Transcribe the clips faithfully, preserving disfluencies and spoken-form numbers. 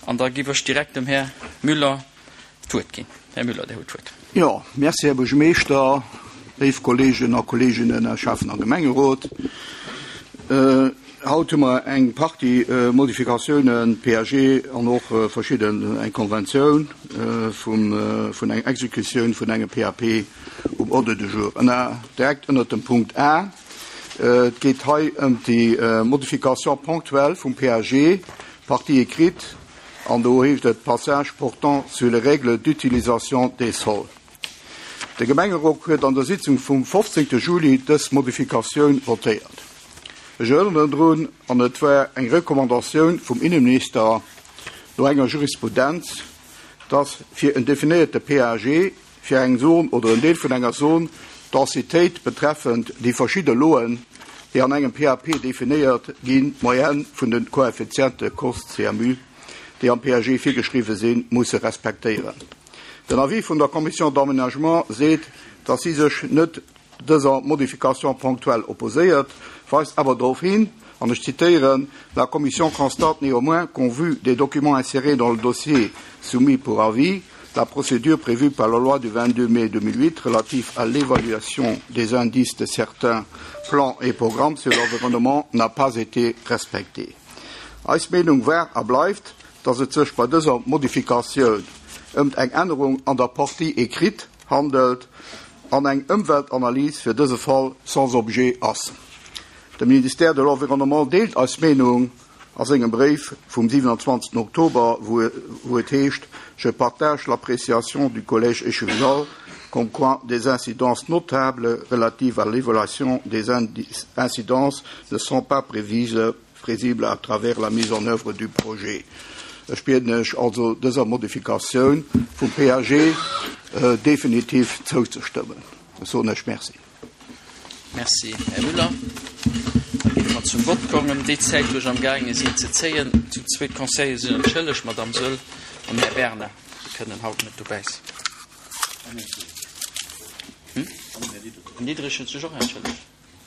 An da giff ech direkt dem Här Müller d'Wuert ginn. Här Müller, Dir hutt d'Wuert. Jo, merci, Här Buergermeeschter, léif Kolleegen a Kolleeginnen aus Schäffen a Gemengerot. Haut hu mer eng Partie Modifikatiounen, P A G an och verschidden, eng Konventioun vum, vun enger Exekutioun vun engem P A P um Ordre du jour. Ënner, direkt ënnert dem Punkt A, et geet hei ëm déi Modification ponctuelle vum P A G, partie écrite, an do heescht et Passage portant sur les règles d'utilisation des sols. De Gemengerot huet an der Sitzung vum fofzéngte Juli dës Modifikatioun votéiert. Ech erënneren drun, an et war eng Recommandatioun vum Inneminister no enger Jurisprudenz, dass fir en definéierte P A G fir eng Zon oder en Deel vun enger Zon d'Densitéit betreffend déi verschidde Loen, déi an engem P A P definéiert ginn, d'Moyenne vun de Koeffiziente COST C M U, déi am P A G virgeschriwwe sinn, musse respektéieren. Den Avis vun der Commission d'aménagement seet, dass si sech net dëser Modification ponctuelle opposéiert, weist awer drop hin, an ech zitéieren: La Commission constate néanmoins qu'au vu des documents insérés dans le dossier soumis pour avis, la procédure prévue par la loi du vingt-deux mai deux mille huit relative à l'évaluation des indices de certains plans et programmes sur l'environnement n'a pas été respectée. Eis Meenung war a bleift, dass et sech bei dëser Modifikatioun ëm eng Ännerung an der Partie écrite handelt an eng Ëmweltanalys fir dëse Fall sans objet ass. De Ministère de l'Environnement deelt eis Meenung a sengem Bréif vum siewenundzwanzegsten Oktober, wou et heescht: Je partage l'appréciation du collège échevinal comme quoi des incidences notables relatives à l'évaluation des incidences ne sont pas prévisibles à travers la mise en œuvre du projet. Ech bieden Iech also, dëser Modifikatioun vum P A G definitiv zouzestëmmen. Ech soen Iech Merci. Merci, Här Müller. Da géife mer zum Vott kommen. Déi Zäit, wou ech am gaange sinn ze zéien, zu zwee Conseillere sinn entschëllegt, Madamm Söll an Här Bernard, déi kënnen haut net dobäi sinn. Hm? Den Diderich huet sech och entschëllegt.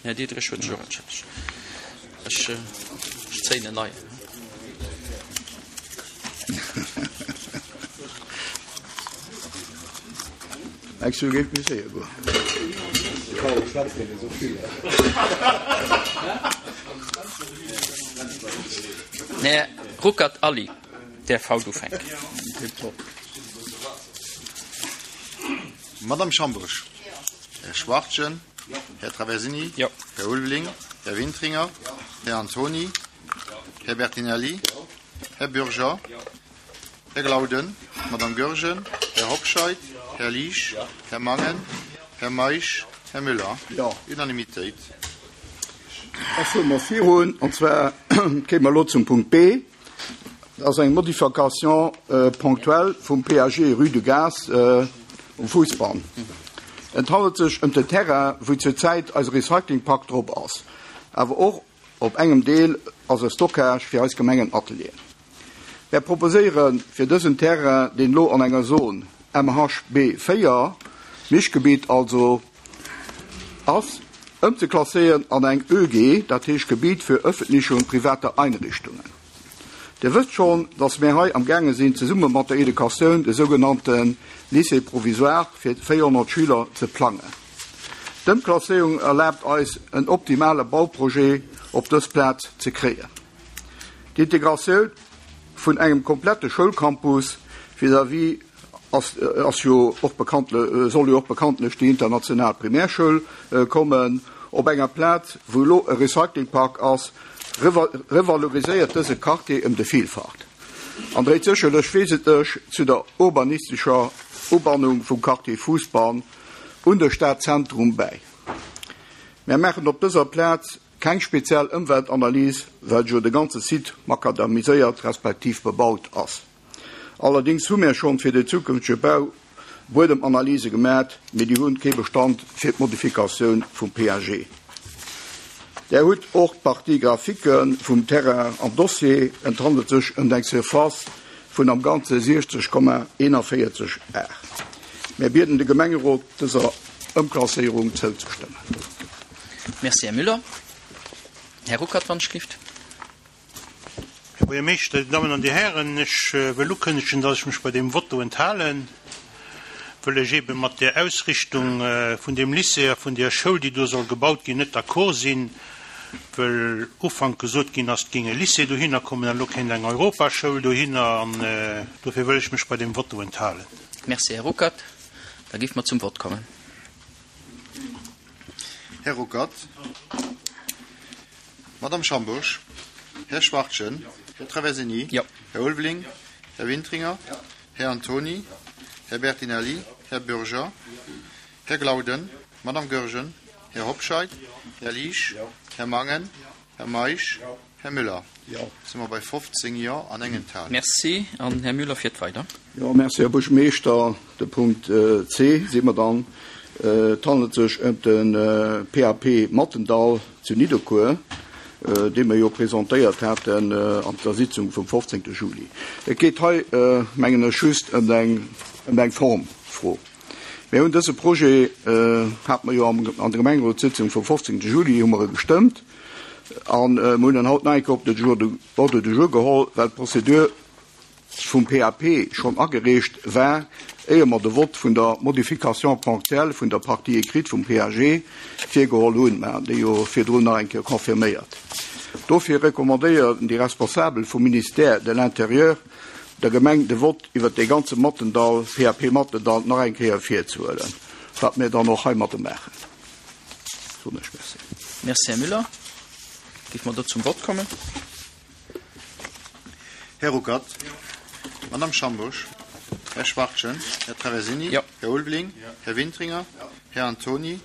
Här Diderich huet sech och entschëllegt. Ech, ech zéien en neien. Ech géif méi séier goen. Här Ruckert Aly däerf haut ufänken. Madame Schambourg. Här Schwachtgen. Här Traversini. Här Ulveling. Här Wintringer. Här Antoni. Här Bertinelli. Här Bürger. Här Glauden. Madame Goergen. Här Hobscheit. Här Liesch. Här Mangen. Här Meisch. Här Müller. Unanimitéit. Da fuere mer virun, an zwar kéime mer elo zum Punkt B. Dat ass eng Modification ponctuelle vum P A G Rue du Gaz um Fousbann. Et handelt sech ëm den Terrain, wou zurzäit eise Recyclingpark drop ass. Awer och op engem Deel ass e Stockage fir eis Gemengenatelieren. Mär proposéiere fir dësen Terrain, deen elo an enger Zon M H B véier, Mischgebiet also, ass, ëmzeklasséieren an eng Ö G, dat heescht Gebiet für öffentliche und private Einrichtungen. Dir wësst schonn, dass mir hei am gaange sinn, zesumme mat der Educatioun de sougenannte Lycée provisoire fir véierhonnert Schüler ze plangen. D'Ëmklasséierung erlaabt eis, en optimale Bauprojet op dës Plaz ze kréien. D'Integratioun vun engem komplette Schoulcampus vis-à-vis ass, ass jo och bekanntle, soll jo och bekanntlech déi international Primärschoul kommen, op enger Plaz, wou elo e Recyclingpark ass, revaloriséiert dëse Quartier ëm de Villfacht an dréit sécherlech wesentlech zu der urbanistescher Ubannung vum Quartier Fousbann un de Stadzentrum bäi. Mär maachen op dëser Plaz keng speziell Ëmweltanalys, well jo de ganze Site makadamiséiert respektiv bebaut ass. Allerdéngs hu mär schonn fir de zukünftege Bau Buedemanalyse gemat, mee déi hunn kee Bestand fir d'Modifikatioun vum P A G. Där hutt och d'Partie graphique vum Terrain am Dossier. Et handelt sech ëm eng Surface vun am Ganze siechzeg Komma eenanvéierzeg Ar. Mär bieden de Gemengerot, dëser Ëmklasséierung zouzestëmmen. Merci, Här Müller. Här Ruckert, wann ech gelift. Här Buergermeeschter, Dir Dammen an Dir Hären, ech wëll ukënnegen, dass ech mech bei deem Vote enthalen, wëll ech ebe mat der Ausrichtung vun deem Lycée a vun der Schoul, déi do soll gebaut ginn, net d'accord sinn, wëll Ufank gesot ginn ass, et géing e Lycée dohinner kommen an elo kéint eng Europaschoul dohinner, an dofir wëll ech mech bei deem Vote enthalen. Merci, Här Ruckert. Da géife mer zum Vott kommen. Här Ruckert. Madame Schambusch. Här Schwartjen. Här Traversini. Jo. Här Ulveling. Här Wintringer. Här Antoni. Här Bertinelli. Här Bürger. Här Glauden. Madame Goergen. Här Hobscheit. Här Liesch. Här Mangen. Här Meisch. Här Müller. Jo. Si mer bei fofzéng Jo an eng Enthalung. Merci. An Här Müller fiert weider. Jo, merci, Här Buergermeeschter. De Punkt C si mer dann. Et handelt sech ëm de P A P Mattendall zu Nidderkuer, dee mer jo presentéiert haten an der Sitzung vum fofzéngte Juli. Et geet hei, mengen ech, just ëm eng, ëm eng Formfro. Mir hunn dëse Projet, hate mer jo am, an der Gemengerotssitzung vum fofzéngte Juli hu mer e gestëmmt an mer hunn en haut nach eng Kéier op de Jour de, Ordre du jour geholl, well d'Prozedur vum P A P schonn agereecht war, éier mer de Vott vun der Modification ponctuelle vun der Partie écrite vum P A G virgeholl hunn, mä déi jo virdrun nach eng Kéier confirméiert. Dofir recommandéieren déi Responsabel vum Ministère de l'Intérieur der Gemeng de Vott iwwer de ganze Mattendall, P A P Mattendall, nach eng Kéier virzehuelen, wat mir dann och heimat maachen. Soen ech Merci. Merci, Här Müller. Géife mer do zum Vott kommen? Här Ruckert. Madame Schambusch. Här Schwartjen. Här Traversini. Jo. Här Ulveling. Här Wintringer. Här Antoni.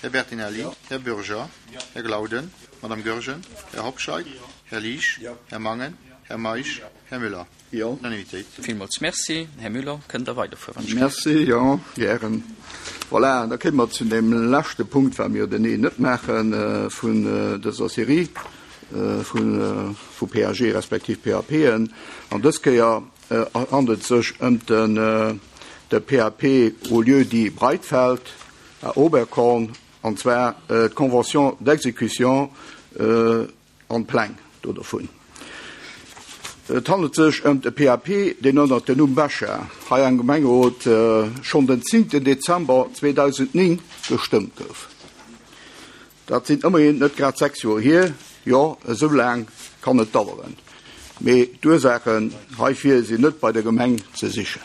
Här Bertinelli. Här Bürger. Här Glauden. Madame Goergen. Här Hobscheit. Här Liesch. Här Mangen. Här Meisch. Här Müller. Jo. Unanimitéit. Villmools Merci. Här Müller, kënnt Der weiderfueren? Merci, jo, gären. Voilà, da kéime mer zu deem leschte Punkt, well mir den E net maache vun dëser Serie vun vu P A G respektiv P A P'en. An dës Kéier handelt sech ëm den de P A P au lieu-dit Breitfeld à Oberkorn, an zwar d'Convention d'exécution an d'Pläng do dovun. Et handelt sech ëm de P A P, deen ënner dem Numm Becher hei am Gemengerot schonn den zéngten Dezember zweedausendnéng gestëmmt gouf. Dat sinn ëmmerhin net grad sechs Joer hier, jo, esou laang kann et daueren. Mee d'Ursaachen heifir sinn net bei der Gemeng ze sichen.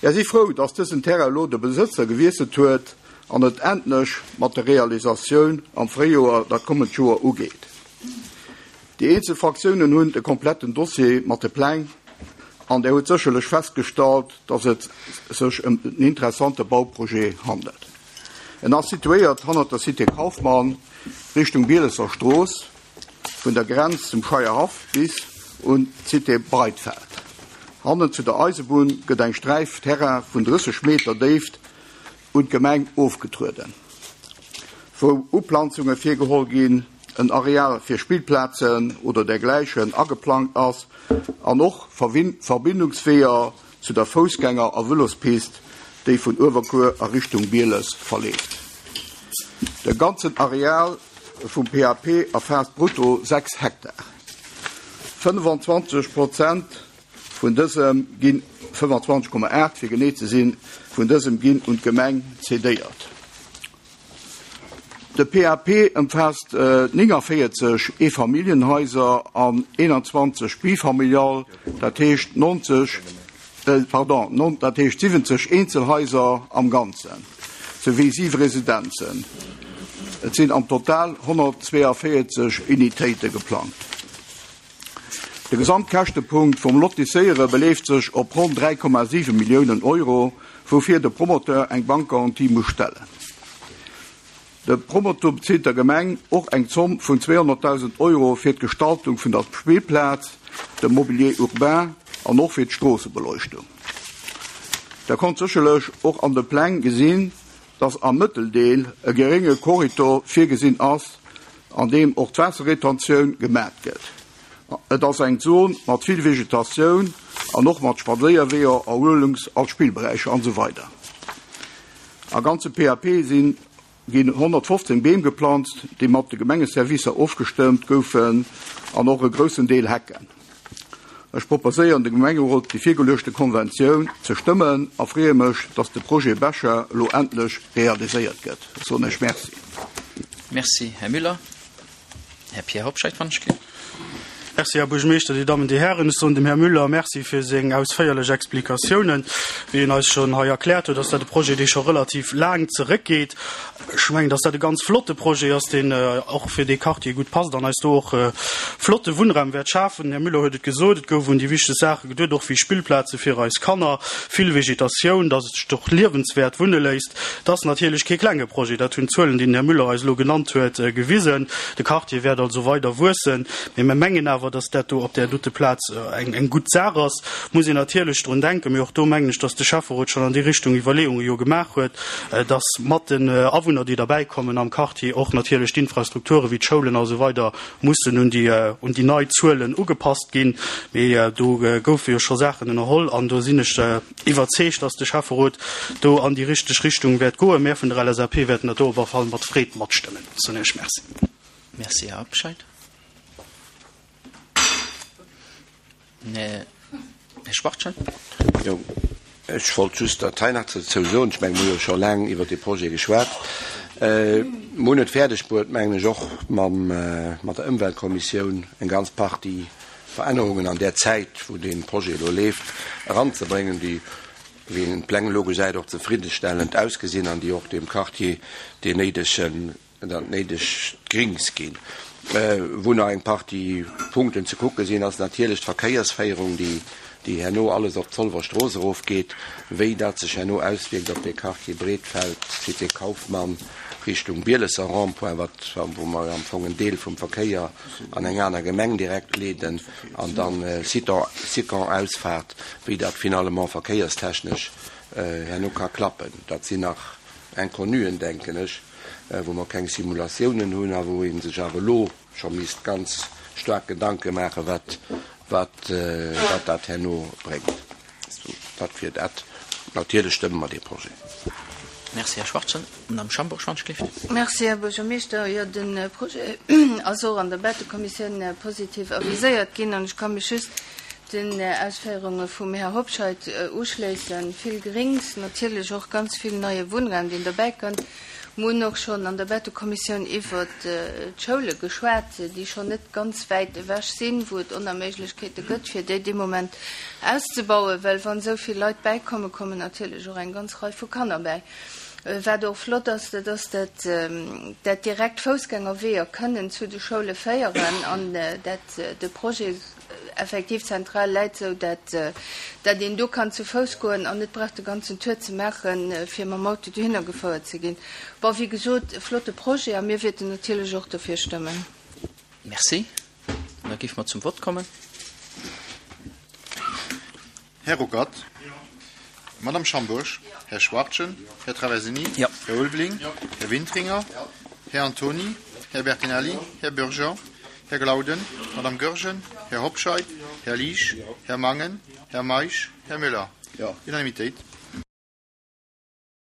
Mir si frou, datt dësen Terrain elo de Besëtzer gewiesselt huet an et endlech mat der Realisatioun am Fréijoer dat kommend Joer ugeet. Déi eenzel Fraktiounen hunn de kompletten Dossier mat de Pläng an der huet sécherlech festgestallt, datt et sech ëm en interessante Bauprojet handelt. En ass situéiert hannert der Cité Kaufmann Richtung Bielesser Strooss, vun der Grenz zum Scheierhaff bis un d'Cité Breitfeld. Hannen zu der Eisebunn gëtt eng Sträif Terrain vun drësseg Meter Déift un d'Gemeng ofgetrueden, wou Uplanzunge virgeholl ginn, en Areal fir Spillplazen oder dergläichen ageplangt ass an och Verbindungsweeër zu der Foussgänger a Vëlospist, déi vun Uewerkuer a Richtung Bieles verleeft. De ganzen Areal vum P A P erfaasst brutto sechs Hektar. fënnefenzwanzeg Prozent vun dësem ginn, fënnefenzwanzeg Komma aacht fir genee ze sinn, vun dësem ginn un d'Gemeng cedéiert. De P A P ëmfaasst nénganvéierzeg Eefamilljenhaiser an eenanzwanzeg bifamilial, dat heescht nonzeg, pardon, dat heescht siwwenzeg Eenzelhaiser am Ganzen, souwéi siwe Residenzen. Et sinn am Total honnertzweeënvéierzeg Unitéite geplangt. De Gesamtkäschtepunkt vum Lotisséiere beleeft sech op ronn dräi Komma siwe Milliounen Euro, woufir de Promoteur eng Bankgarantie muss stellen. De Promoteur bezilt der Gemeng och eng Zomm vun zweehonnertdausend Euro fir d'Gestaltung vun der Spillplaz, dem Mobilier urbain an och fir d'Stroossebeleuchtung. Der konnt sécherlech och an de Pläng gesinn, datt am Mëtteldeel e gerénge Korridor virgesinn ass, an deem och d'Waasserretentioun gemat gëtt. Et ass eng Zon mat vill Vegetatioun an och mat Spadséierweeër, Erhuelungs- a Spillberäicher an esou weider. Am ganze P A P sinn ginn honnertfofzéng Beem geplanzt, déi mat de Gemengeservicer ofgestëmmt goufen, an och e groussen Deel Hecken. Ech proposéieren dem Gemengerot déi virgeluechte Konventioun ze stëmmen a freeë mech, dass de Projet Becher elo endlech realiséiert gëtt. Ech soen Iech Merci. Merci, Här Müller. Här Pierre Hobscheit, wann ech gleef. Merci, Här Buergermeeschter, Dir Dammen, Dir Hären. Ech soen dem Här Müller Merci fir seng ausféierlech Explikatiounen. Wéi en eis schonn hei erkläert huet, ass dat e Projet, dee scho relativ laang zeréckgeet. Ech mengen, dass dat e ganz flotte Projet ass, deen och fir dee Quartier gutt passt an eis do och flotte Wunnraum wäert schafen. Den Här Müller huet et gesot, et gouf un déi wichteg Saache geduet, och wéi Spillplaze fir eis Kanner, vill Vegetatioun, dass et sech och liewenswäert wunne léisst. Et ass natierlech kee klenge Projet, dat hunn d'Zuelen, déi den Här Müller eis elo genannt huet, gewisen. De Quartier wäert also weider wuessen, mee mir mengen awer, dass dat do op där dote Plaz eng gutt Saach ass. Muss een natierlech drun denken, mee och do mengen ech, dass de Schäfferot schonn an déi Richtung Iwwerleeunge jo gemaach huet, dass mat den Awunner, déi derbäikommen am Quartier, och natierlech d'Infrastrukture wéi d'Schoulen a sou weider mussen un déi un déi nei Zuelen ugepasst ginn. Mee do goufe jo scho Saachen ënnerholl an do sinn ech iwwerzeegt, dass de Schäfferot do an déi richteg Richtung wäert goen. Mär vun der LSAP wäerten dat do op alle Fall mat Freed matstëmmen. Soen Iech Merci. Merci, Här Habscheid. Här Schwachtgen. Jo, ech wollt just dat hei nach dozou soen. Ech mengen, mir hu jo scho laang iwwert dee Projet geschwat. Mir hunn et fäerdeg bruet, mengen ech, och mam, mat der Ëmweltkommissioun eng ganz Partie Verännerungen an där Zäit, wou dee Projet elo leeft, eranzebréngen, déi, wéi een d'Pläng elo gesäit, och zefriddestellend ausgesinn an déi och deem Quartier deen néidegen, dat néidegt Grings ginn. Wou nach eng Partie Punkten ze kucke sinn, ass natierlech d'Verkéiersféierung, déi, déi herno alles op d'Zolwer Strooss erofgeet, wéi dat sech herno auswierkt op dee Quartier Breetfeld, Cité Kauffmann, Richtung Bielesser Rond-point, wat, wou mer am Fong en Deel vum Verkéier an eng aner Gemeng direkt leeden, an dann Citron-Ausfahrt, wéi dat finalement verkéierstechnesch herno ka klappen. Dat sinn nach Inconnuen, denken ech, wou mer keng Simulatiounen hunn a wou ee sech awer elo scho misst ganz staark Gedanke maachen, wat, wat, wat dat herno bréngt. Dat wier dat. Natierlech stëmme mer dee Projet. Merci, Här Schwarzen. Madame Schambourg-Schwanzschlift. Merci, Här Buergermeeschter. Jo, de Projet ass och an der Bätekommissioun positiv aviséiert ginn an ech ka mech just den Ausféierunge vum Här Hobscheit uschléissen. Vill Grings, natierlech och ganz vill neie Wunnraum, deen derbäikënnt. Mir hunn och schonn an der Bätekommissioun iwwert d'Schoule geschwat, déi schonn net ganz wäit ewech sinn, wou et Onerméiglechkeete gëtt, fir déi dee Moment auszebauen, well wann esou vill Leit bäikommen, kommen natierlech och eng ganz Rei vu Kanner bäi. Wat och flott ass, dat ass, dat dat direkt Foussgängerweeër kënnen zu de Schoule féieren an dat de Projet effektiv zentral läit, sou dat dat een do kann zu Fouss goen an net brauch de ganzen Tour ze maachen, fir mam Auto dohinner gefouert ze ginn. Bon, wéi gesot, e flotte Projet a mir wäerten natierlech och dofir stëmmen. Merci. Da géife mer zum Vott kommen. Här Ruckert. Madame Schambourg. Här Schwartgen. Här Traversini. Här Ulveling. Här Wintringer. Här Antoni. Här Bertinelli. Här Bürger. Här Glauden. Madame Goergen. Här Hobscheit. Här Liesch. Här Mangen. Här Meisch. Här Müller. Unanimitéit.